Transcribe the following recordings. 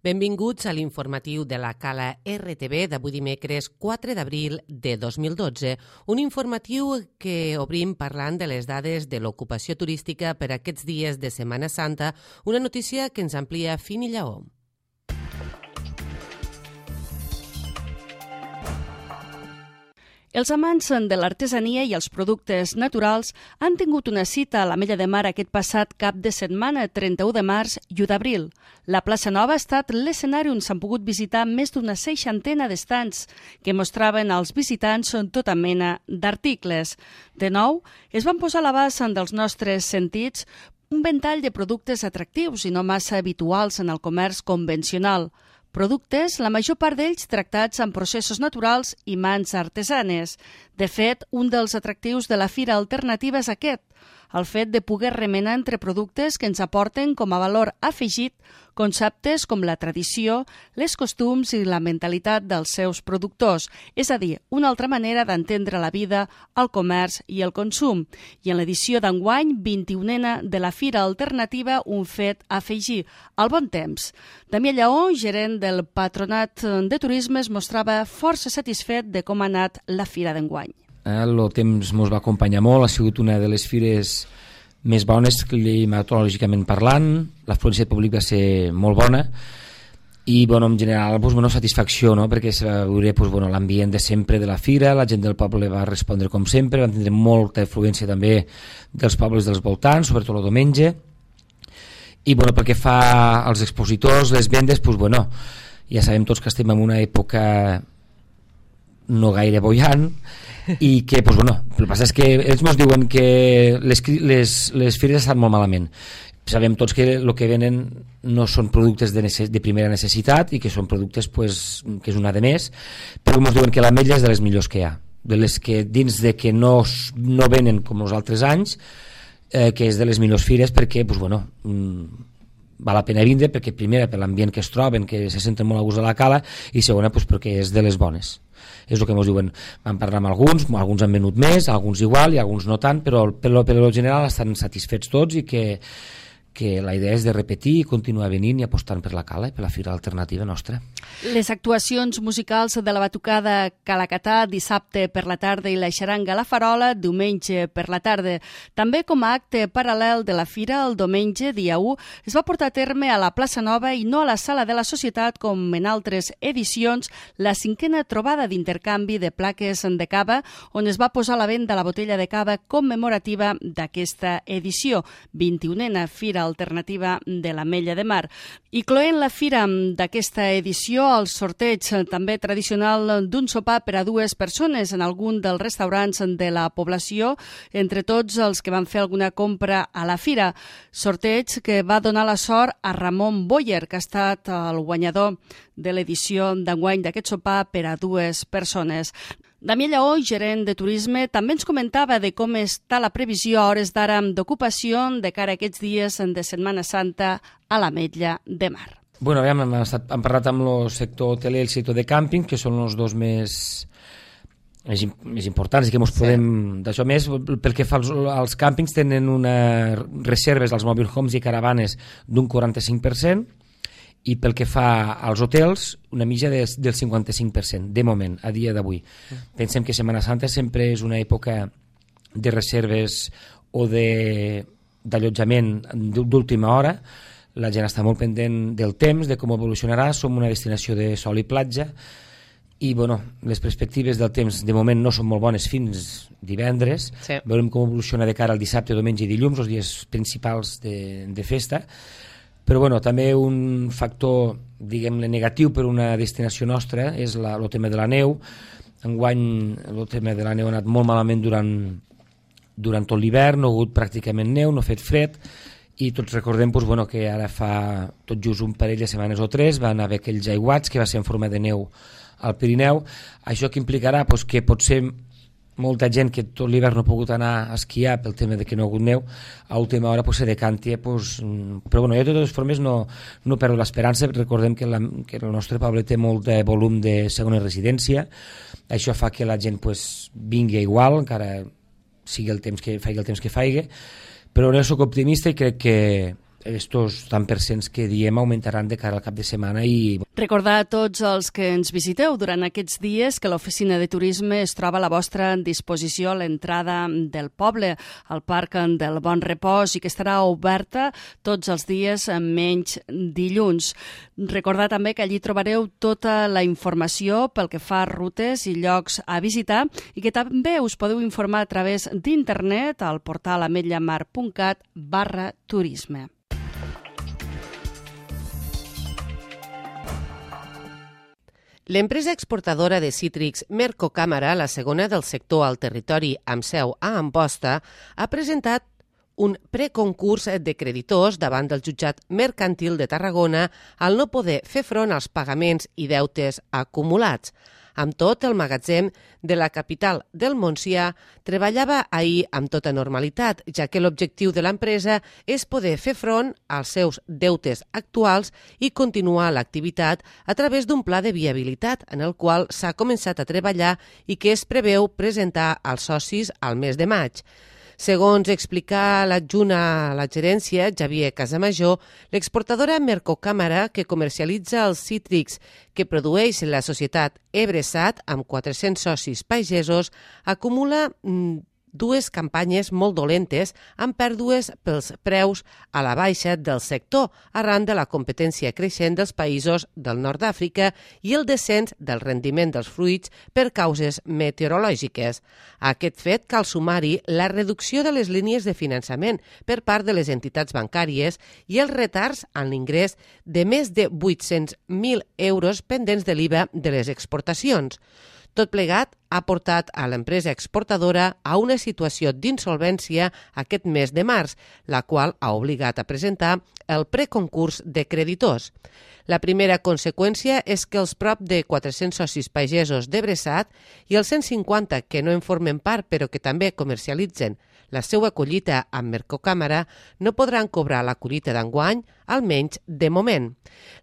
Benvinguts a l'informatiu de la Cala RTV d'avui dimecres 4 d'abril de 2012, un informatiu que obrim parlant de les dades de l'ocupació turística per aquests dies de Setmana Santa, una notícia que ens amplia Fini Lleó. Els amants de l'artesania i els productes naturals han tingut una cita a l'Ametlla de Mar aquest passat cap de setmana, 31 de març i 1 d'abril. La plaça Nova ha estat l'escenari on s'han pogut visitar més d'una 60 d'estants que mostraven als visitants tota mena d'articles. De nou, es van posar a l'abast dels nostres sentits un ventall de productes atractius i no massa habituals en el comerç convencional. Productes, la major part d'ells tractats amb processos naturals i mans artesanes. De fet, un dels atractius de la Fira Alternativa és aquest, el fet de poder remenar entre productes que ens aporten com a valor afegit conceptes com la tradició, les costums i la mentalitat dels seus productors, és a dir, una altra manera d'entendre la vida, el comerç i el consum. I en l'edició d'enguany, 21a de la Fira Alternativa, un fet a afegir, el bon temps. Damià Lleó, gerent del Patronat de Turisme, es mostrava força satisfet de com ha anat la fira d'enguany. El temps ens va acompanyar molt, ha sigut una de les fires més bones climatològicament parlant, l'afluència de públic va ser molt bona i en general satisfacció, no? Perquè se va veure l'ambient de sempre de la fira, la gent del poble va respondre com sempre, van tindre molta afluència també dels pobles dels voltants, sobretot el diumenge, i pel que fa als expositors, les vendes, ja sabem tots que estem en una època no gaire boiant i que, el que passa és que ells ens diuen que les fires estan molt malament. Sabem tots que el que venen no són productes de primera necessitat i que són productes que és una de més, però ens diuen que l'ametlla és de les millors que hi ha, de les que dins de que no venen com els altres anys, que és de les millors fires perquè val la pena vindre, perquè primera per l'ambient que es troben, que se senten molt a gust a la cala, i segona perquè és de les bones. És el que ens diuen. Vam parlar amb alguns han venut més, alguns igual i alguns no tant, però per lo general estan satisfets tots i que la idea és de repetir i continuar venint i apostant per la cala i per la fira alternativa nostra. Les actuacions musicals de la batucada Calacatà dissabte per la tarda i la xaranga a la Farola diumenge per la tarda. També com a acte paral·lel de la fira, el diumenge, dia 1, es va portar a terme a la plaça Nova i no a la sala de la Societat com en altres edicions, la 5a trobada d'intercanvi de plaques de cava on es va posar a la venda la botella de cava commemorativa d'aquesta edició, 21a Fira Alternativa de l'Ametlla de Mar. I cloent la fira d'aquesta edició, el sorteig també tradicional d'un sopar per a 2 persones en algun dels restaurants de la població, entre tots els que van fer alguna compra a la fira. Sorteig que va donar la sort a Ramon Boyer, que ha estat el guanyador de l'edició d'enguany d'aquest sopar per a 2 persones. Damià Lleó, gerent de turisme, també ens comentava de com està la previsió a hores d'ara d'ocupació de cara a aquests dies de Setmana Santa a l'Ametlla de Mar. Hem parlat amb el sector hoteler i el sector de càmping, que són els dos més importants i que ens podem d'això més. Pel que fa als càmpings, tenen unes reserves als mobile homes i caravanes d'un 45%, i pel que fa als hotels, una mitja del 55%, de moment, a dia d'avui. Pensem que Setmana Santa sempre és una època de reserves o d'allotjament d'última hora. La gent està molt pendent del temps, de com evolucionarà. Som una destinació de sol i platja i les perspectives del temps de moment no són molt bones fins divendres. Sí. Veurem com evoluciona de cara al dissabte, diumenge i dilluns, els dies principals de festa. Però també un factor, diguem-ne, negatiu per una destinació nostra és el tema de la neu. Enguany el tema de la neu ha anat molt malament durant tot l'hivern, no ha hagut pràcticament neu, no ha fet fred, i tots recordem que ara fa tot just un parell de setmanes o 3 van haver aquells aiguats que va ser en forma de neu al Pirineu. Això que implicarà que potser molta gent que tot l'hivern no ha pogut anar a esquiar pel tema de que no ha hagut neu, a última hora se decanti, però jo de totes formes no perdo l'esperança. Recordem que el nostre poble té molt de volum de segona residència, això fa que la gent vingui igual, encara sigui el temps que faci, però jo soc optimista i crec que estos tant percents que diem augmentaran de cara al cap de setmana. I recordar a tots els que ens visiteu durant aquests dies que l'oficina de turisme es troba a la vostra disposició a l'entrada del poble, al Parc del Bon Repòs, i que estarà oberta tots els dies menys dilluns. Recordar també que allí trobareu tota la informació pel que fa a rutes i llocs a visitar i que també us podeu informar a través d'internet al portal ametllamar.cat/turisme. L'empresa exportadora de cítrics Mercocàmera, la segona del sector al territori amb seu a Amposta, ha presentat un preconcurs de creditors davant del jutjat mercantil de Tarragona al no poder fer front als pagaments i deutes acumulats. Amb tot, el magatzem de la capital del Montsià treballava ahir amb tota normalitat, ja que l'objectiu de l'empresa és poder fer front als seus deutes actuals i continuar l'activitat a través d'un pla de viabilitat en el qual s'ha començat a treballar i que es preveu presentar als socis al mes de maig. Segons explica l'adjunt a la gerència, Xavier Casamajor, l'exportadora Mercocàmera, que comercialitza els cítrics que produeix la societat Ebresat amb 400 socis pagesos, acumula dues campanyes molt dolentes amb pèrdues pels preus a la baixa del sector arran de la competència creixent dels països del nord d'Àfrica i el descens del rendiment dels fruits per causes meteorològiques. A aquest fet cal sumar-hi la reducció de les línies de finançament per part de les entitats bancàries i els retards en l'ingrés de més de 800.000 euros pendents de l'IVA de les exportacions. Tot plegat ha portat a l'empresa exportadora a una situació d'insolvència aquest mes de març, la qual ha obligat a presentar el preconcurs de creditors. La primera conseqüència és que els prop de 400 socis pagesos d'Ebresat i els 150 que no en formen part però que també comercialitzen la seva collita amb Mercocàmera no podran cobrar la collita d'enguany, almenys de moment.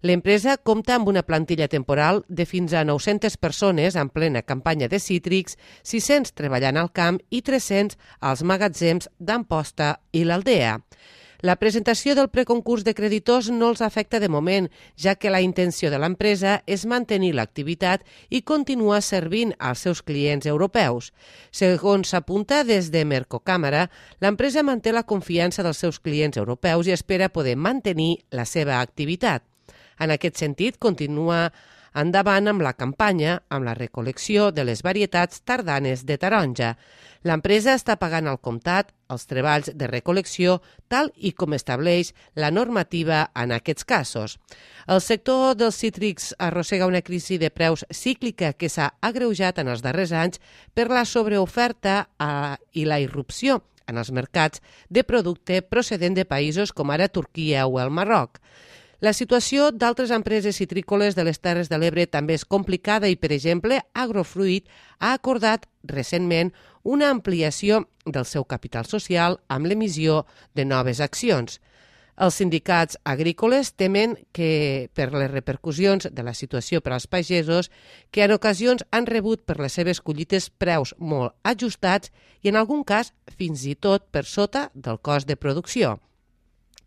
L'empresa compta amb una plantilla temporal de fins a 900 persones en plena campanya de cítrics, 600 treballant al camp i 300 als magatzems d'Amposta i l'Aldea. La presentació del preconcurs de creditors no els afecta de moment, ja que la intenció de l'empresa és mantenir l'activitat i continuar servint als seus clients europeus. Segons s'apunta des de Mercocàmera, l'empresa manté la confiança dels seus clients europeus i espera poder mantenir la seva activitat. En aquest sentit, continua endavant amb la campanya, amb la recol·lecció de les varietats tardanes de taronja. L'empresa està pagant al comptat els treballs de recol·lecció tal i com estableix la normativa en aquests casos. El sector dels cítrics arrossega una crisi de preus cíclica que s'ha agreujat en els darrers anys per la sobreoferta i la irrupció en els mercats de producte procedent de països com ara Turquia o el Marroc. La situació d'altres empreses citrícoles de les Terres de l'Ebre també és complicada i, per exemple, Agrofruit ha acordat recentment una ampliació del seu capital social amb l'emissió de noves accions. Els sindicats agrícoles temen que, per les repercussions de la situació per als pagesos, que en ocasions han rebut per les seves collites preus molt ajustats i, en algun cas, fins i tot per sota del cost de producció.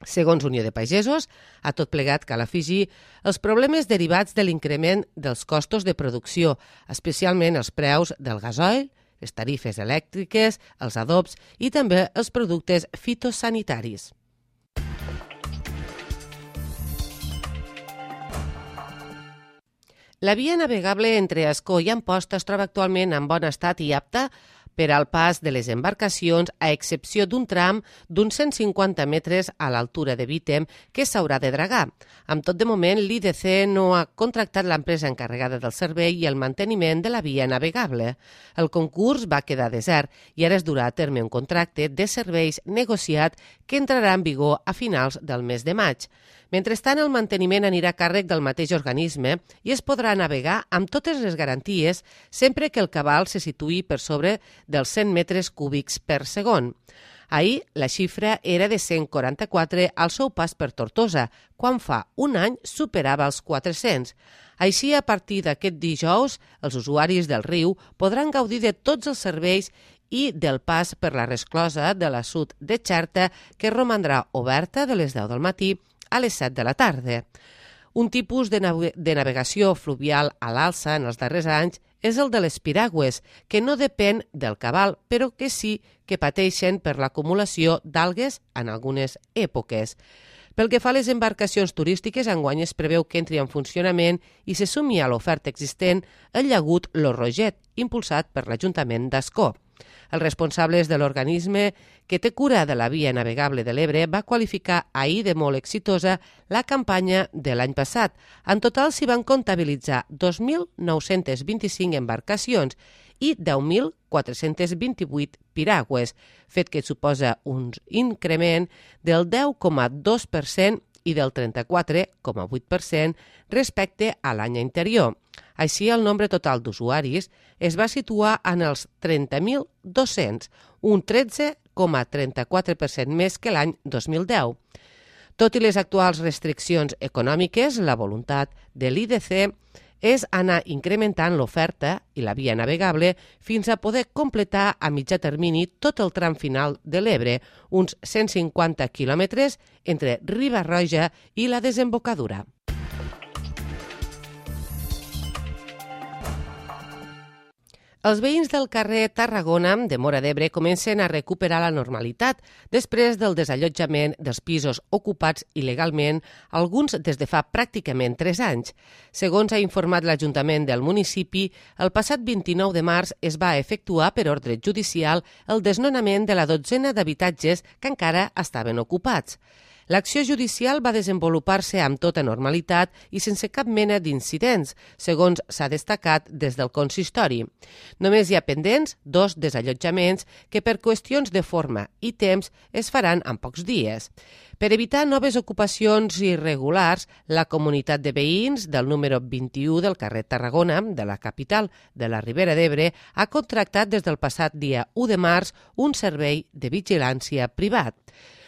Segons Unió de Pagesos, a tot plegat cal afegir els problemes derivats de l'increment dels costos de producció, especialment els preus del gasoil, les tarifes elèctriques, els adobs i també els productes fitosanitaris. La via navegable entre Ascó i Amposta es troba actualment en bon estat i apta per al pas de les embarcacions, a excepció d'un tram d'uns 150 metres a l'altura de Vítem que s'haurà de dragar. Amb tot, de moment, l'IDC no ha contractat l'empresa encarregada del servei i el manteniment de la via navegable. El concurs va quedar desert i ara es durà a terme un contracte de serveis negociat que entrarà en vigor a finals del mes de maig. Mentrestant, el manteniment anirà a càrrec del mateix organisme i es podrà navegar amb totes les garanties sempre que el cabal se situï per sobre dels 100 metres cúbics per segon. Ahir, la xifra era de 144 al seu pas per Tortosa, quan fa un any superava els 400. Així, a partir d'aquest dijous, els usuaris del riu podran gaudir de tots els serveis i del pas per la resclosa de la Sud de Xerta, que romandrà oberta de les 10 del matí a les 7 de la tarda. Un tipus de navegació fluvial a l'alça en els darrers anys és el de les piragües, que no depèn del cabal, però que sí que pateixen per l'acumulació d'algues en algunes èpoques. Pel que fa a les embarcacions turístiques, enguany es preveu que entri en funcionament i se sumi a l'oferta existent el llagut Lo Roget, impulsat per l'Ajuntament d'Ascó. Els responsables de l'organisme que té cura de la via navegable de l'Ebre va qualificar ahir de molt exitosa la campanya de l'any passat. En total s'hi van comptabilitzar 2.925 embarcacions i 10.428 piragües, fet que suposa un increment del 10,2% i del 34,8% respecte a l'any anterior. Així, el nombre total d'usuaris es va situar en els 30.200, un 13,34% més que l'any 2010. Tot i les actuals restriccions econòmiques, la voluntat de l'IDC és anar incrementant l'oferta i la via navegable fins a poder completar a mitjà termini tot el tram final de l'Ebre, uns 150 quilòmetres entre Riba-roja i la desembocadura. Els veïns del carrer Tarragona de Móra d'Ebre comencen a recuperar la normalitat després del desallotjament dels pisos ocupats il·legalment, alguns des de fa pràcticament 3 anys. Segons ha informat l'Ajuntament del municipi, el passat 29 de març es va efectuar per ordre judicial el desnonament de la 12ena d'habitatges que encara estaven ocupats. L'acció judicial va desenvolupar-se amb tota normalitat i sense cap mena d'incidents, segons s'ha destacat des del consistori. Només hi ha pendents 2 desallotjaments que per qüestions de forma i temps es faran en pocs dies. Per evitar noves ocupacions irregulars, la comunitat de veïns del número 21 del carrer Tarragona, de la capital de la Ribera d'Ebre, ha contractat des del passat dia 1 de març un servei de vigilància privat.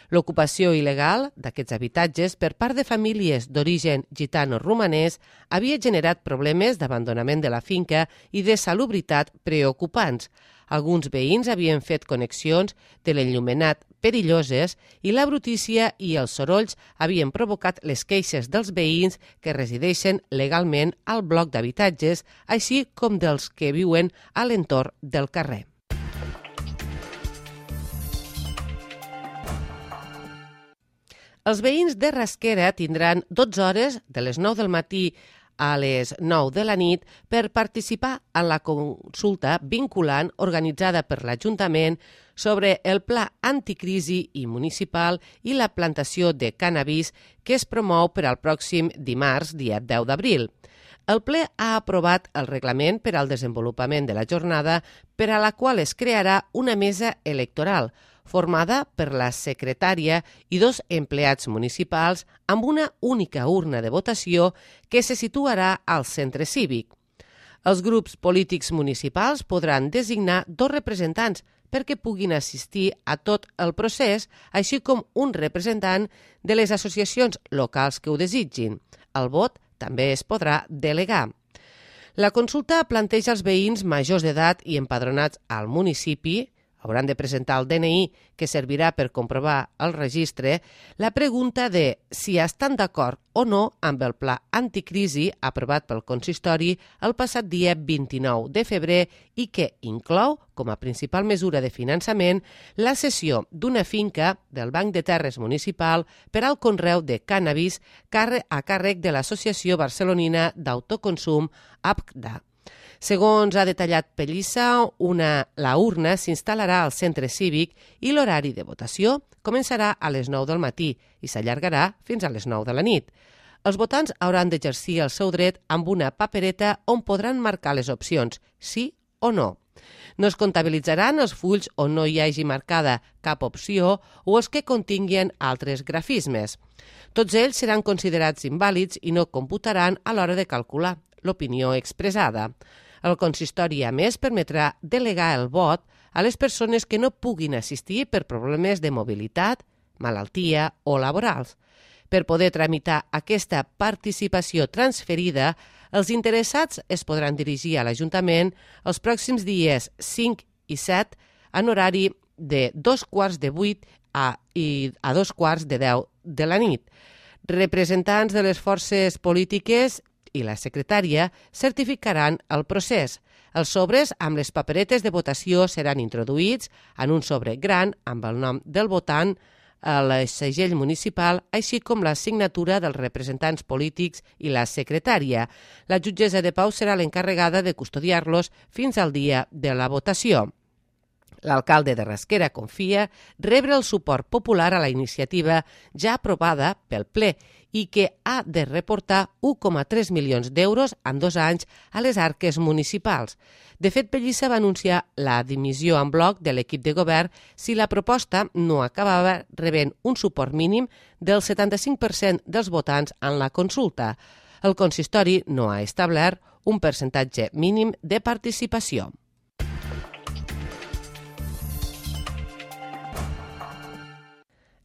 L'ocupació il·legal d'aquests habitatges per part de famílies d'origen gitano-romanès havia generat problemes d'abandonament de la finca i de salubritat preocupants. Alguns veïns havien fet connexions de l'enllumenat perilloses i la brutícia i els sorolls havien provocat les queixes dels veïns que resideixen legalment al bloc d'habitatges, així com dels que viuen a l'entorn del carrer. Els veïns de Rasquera tindran 12 hores de les 9 del matí a les 9 de la nit per participar en la consulta vinculant organitzada per l'Ajuntament sobre el pla anticrisi i municipal i la plantació de cànnabis que es promou per al pròxim dimarts, dia 10 d'abril. El ple ha aprovat el reglament per al desenvolupament de la jornada, per a la qual es crearà una mesa electoral, formada per la secretària i 2 empleats municipals amb una única urna de votació que se situarà al centre cívic. Els grups polítics municipals podran designar 2 representants perquè puguin assistir a tot el procés, així com un representant de les associacions locals que ho desitgin. El vot també es podrà delegar. La consulta planteja als veïns majors d'edat i empadronats al municipi, hauran de presentar el DNI que servirà per comprovar el registre, la pregunta de si estan d'acord o no amb el pla anticrisi aprovat pel consistori el passat dia 29 de febrer i que inclou, com a principal mesura de finançament, la cessió d'una finca del Banc de Terres Municipal per al conreu de cànnabis a càrrec de l'Associació Barcelonina d'Autoconsum, APCDA. Segons ha detallat Pellissa, la urna s'instal·larà al centre cívic i l'horari de votació començarà a les 9 del matí i s'allargarà fins a les 9 de la nit. Els votants hauran d'exercir el seu dret amb una papereta on podran marcar les opcions sí o no. No es comptabilitzaran els fulls on no hi hagi marcada cap opció o els que continguen altres grafismes. Tots ells seran considerats invàlids i no computaran a l'hora de calcular l'opinió expressada. El consistori, a més, permetrà delegar el vot a les persones que no puguin assistir per problemes de mobilitat, malaltia o laborals. Per poder tramitar aquesta participació transferida, els interessats es podran dirigir a l'Ajuntament els pròxims dies 5 i 7 en horari de 7:45 a 2:45 de la nit. Representants de les forces polítiques i la secretària certificaran el procés. Els sobres amb les paperetes de votació seran introduïts en un sobre gran amb el nom del votant, el segell municipal, així com la signatura dels representants polítics i la secretària. La jutgessa de pau serà l'encarregada de custodiar-los fins al dia de la votació. L'alcalde de Rasquera confia rebre el suport popular a la iniciativa ja aprovada pel ple i que ha de reportar 1,3 milions d'euros en 2 anys a les arques municipals. De fet, Pellissa va anunciar la dimissió en bloc de l'equip de govern si la proposta no acabava rebent un suport mínim del 75% dels votants en la consulta. El consistori no ha establert un percentatge mínim de participació.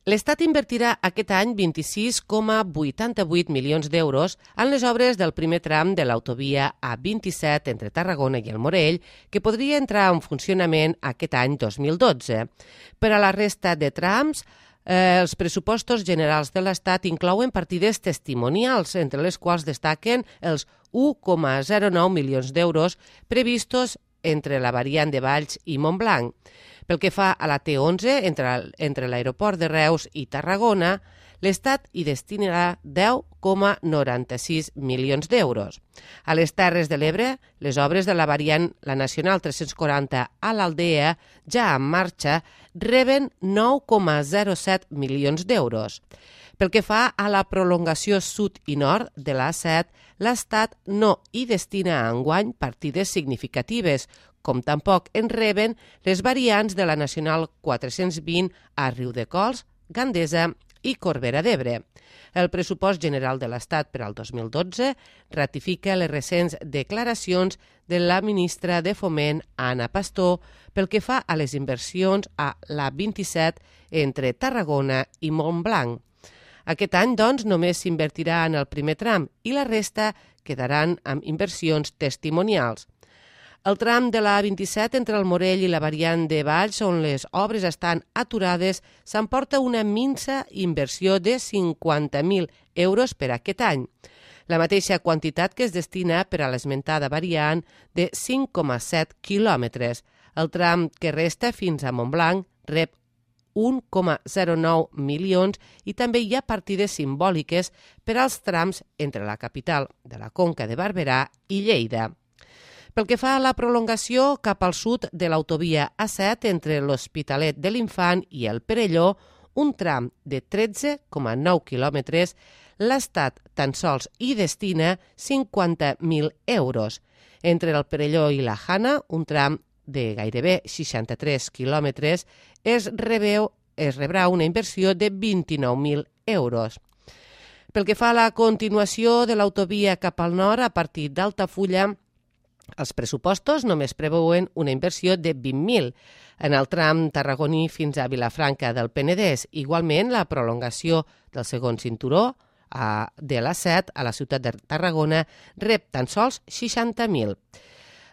L'Estat invertirà aquest any 26,88 milions d'euros en les obres del primer tram de l'autovia A27 entre Tarragona i el Morell, que podria entrar en funcionament aquest any 2012. Per a la resta de trams, els pressupostos generals de l'Estat inclouen partides testimonials, entre les quals destaquen els 1,09 milions d'euros previstos entre la variant de Valls i Montblanc. Pel que fa a la T11, entre l'aeroport de Reus i Tarragona, l'Estat hi destinarà 10,96 milions d'euros. A les Terres de l'Ebre, les obres de la variant la Nacional 340 a l'Aldea, ja en marxa, reben 9,07 milions d'euros. Pel que fa a la prolongació sud i nord de l'A7, l'Estat no hi destina enguany partides significatives, com tampoc en reben les variants de la Nacional 420 a Riudecols, Gandesa i Corbera d'Ebre. El pressupost general de l'Estat per al 2012 ratifica les recents declaracions de la ministra de Foment, Ana Pastor, pel que fa a les inversions a l'A27 entre Tarragona i Montblanc. Aquest any, doncs, només s'invertirà en el primer tram i la resta quedaran amb inversions testimonials. El tram de la A27 entre el Morell i la variant de Valls, on les obres estan aturades, s'emporta una minsa inversió de 50.000 euros per aquest any. La mateixa quantitat que es destina per a l'esmentada variant de 5,7 quilòmetres. El tram que resta fins a Montblanc rep 1,09 milions i també hi ha partides simbòliques per als trams entre la capital de la Conca de Barberà i Lleida. Pel que fa a la prolongació cap al sud de l'autovia A7 entre l'Hospitalet de l'Infant i el Perelló, un tram de 13,9 quilòmetres, l'Estat tan sols hi destina 50.000 euros. Entre el Perelló i la Jana, un tram de gairebé 63 quilòmetres, es rebrà una inversió de 29.000 euros. Pel que fa a la continuació de l'autovia cap al nord, a partir d'Altafulla, els pressupostos només preveuen una inversió de 20.000 en el tram tarragoní fins a Vilafranca del Penedès. Igualment, la prolongació del segon cinturó de l'A7 a la ciutat de Tarragona rep tan sols 60.000.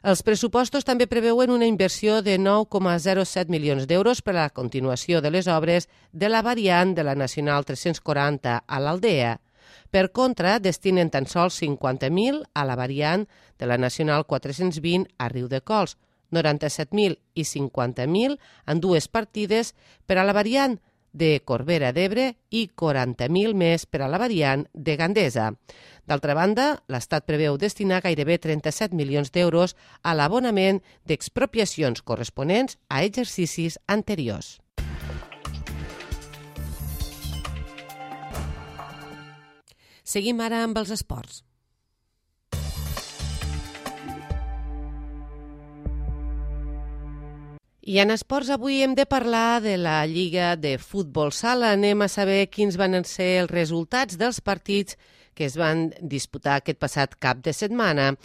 Els pressupostos també preveuen una inversió de 9,07 milions d'euros per a la continuació de les obres de la variant de la Nacional 340 a l'Aldea. Per contra, destinen tan sols 50.000 a la variant de la Nacional 420 a Riudecols, 97.000 i 50.000 en dues partides per a la variant de Corbera d'Ebre i 40.000 més per a la variant de Gandesa. D'altra banda, l'Estat preveu destinar gairebé 37 milions d'euros a l'abonament d'expropiacions corresponents a exercicis anteriors. Seguim ara amb els esports. I en esports avui hem de parlar de la Lliga de Futbol Sala. Anem a saber quins van ser els resultats dels partits que es van disputar aquest passat cap de setmana.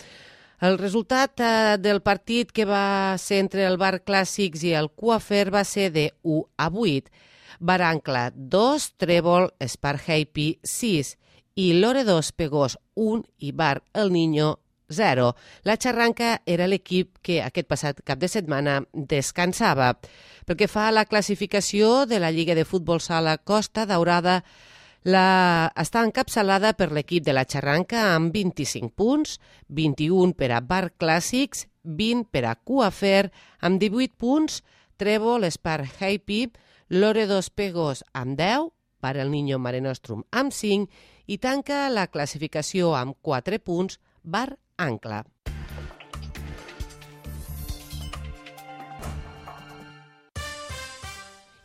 El resultat del partit que va ser entre el Bar Clàssics i el Coafer va ser de 1-8. Barancla 2, Trèvol, Esparhaipy 6 i Loredo Pegós 1 i Bar El Niño 0. La Xarranca era l'equip que aquest passat cap de setmana descansava. Pel que fa a la classificació de la Lliga de Futbol Sala Costa Daurada, està encapçalada per l'equip de la Xarranca amb 25 punts, 21 per a Bar Clàssics, 20 per a Cuafer amb 18 punts, Trèvol, Espar Happy, Lore dos Pegos amb 10, per el Niño Mare Nostrum amb 5 i tanca la classificació amb 4 punts Bar Ancla.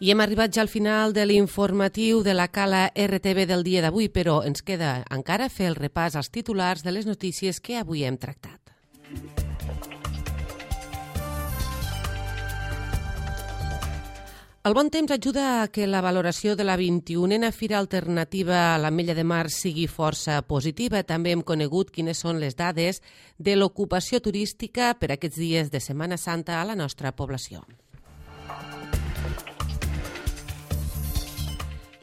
I hem arribat ja al final de l'informatiu de la Cala RTV del dia d'avui, però ens queda encara fer el repàs als titulars de les notícies que avui hem tractat. El bon temps ajuda a que la valoració de la 21a Fira Alternativa a l'Ametlla de Mar sigui força positiva. També hem conegut quines són les dades de l'ocupació turística per aquests dies de Setmana Santa a la nostra població.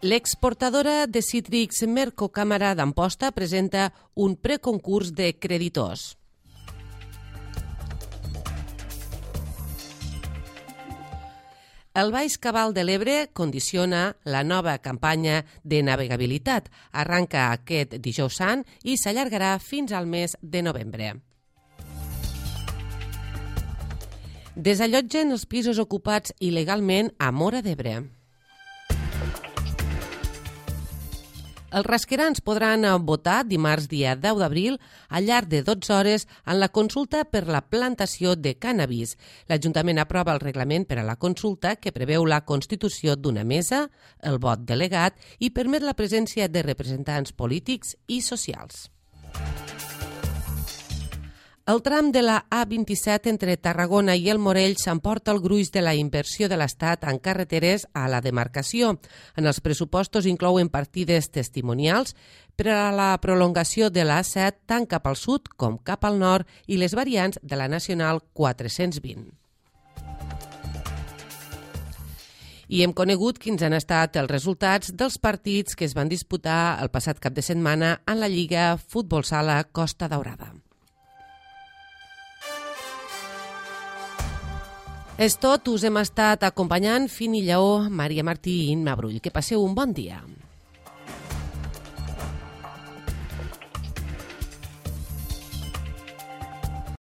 L'exportadora de cítrics Mercocàmera d'Amposta presenta un preconcurs de creditors. El Baix Cabal de l'Ebre condiciona la nova campanya de navegabilitat. Arranca aquest dijous sant i s'allargarà fins al mes de novembre. Desallotgen els pisos ocupats il·legalment a Móra d'Ebre. Els rasquerans podran votar dimarts dia 10 d'abril al llarg de 12 hores en la consulta per la plantació de cànnabis. L'Ajuntament aprova el reglament per a la consulta que preveu la constitució d'una mesa, el vot delegat i permet la presència de representants polítics i socials. El tram de la A27 entre Tarragona i el Morell s'emporta el gruix de la inversió de l'Estat en carreteres a la demarcació. En els pressupostos inclouen partides testimonials per a la prolongació de l'A7 tant cap al sud com cap al nord i les variants de la Nacional 420. I hem conegut quins han estat els resultats dels partits que es van disputar el passat cap de setmana en la Lliga Futbol Sala Costa Daurada. És tot, us hem estat acompanyant Fini Lleó, Maria Martí i Imma Brull. Que passeu un bon dia.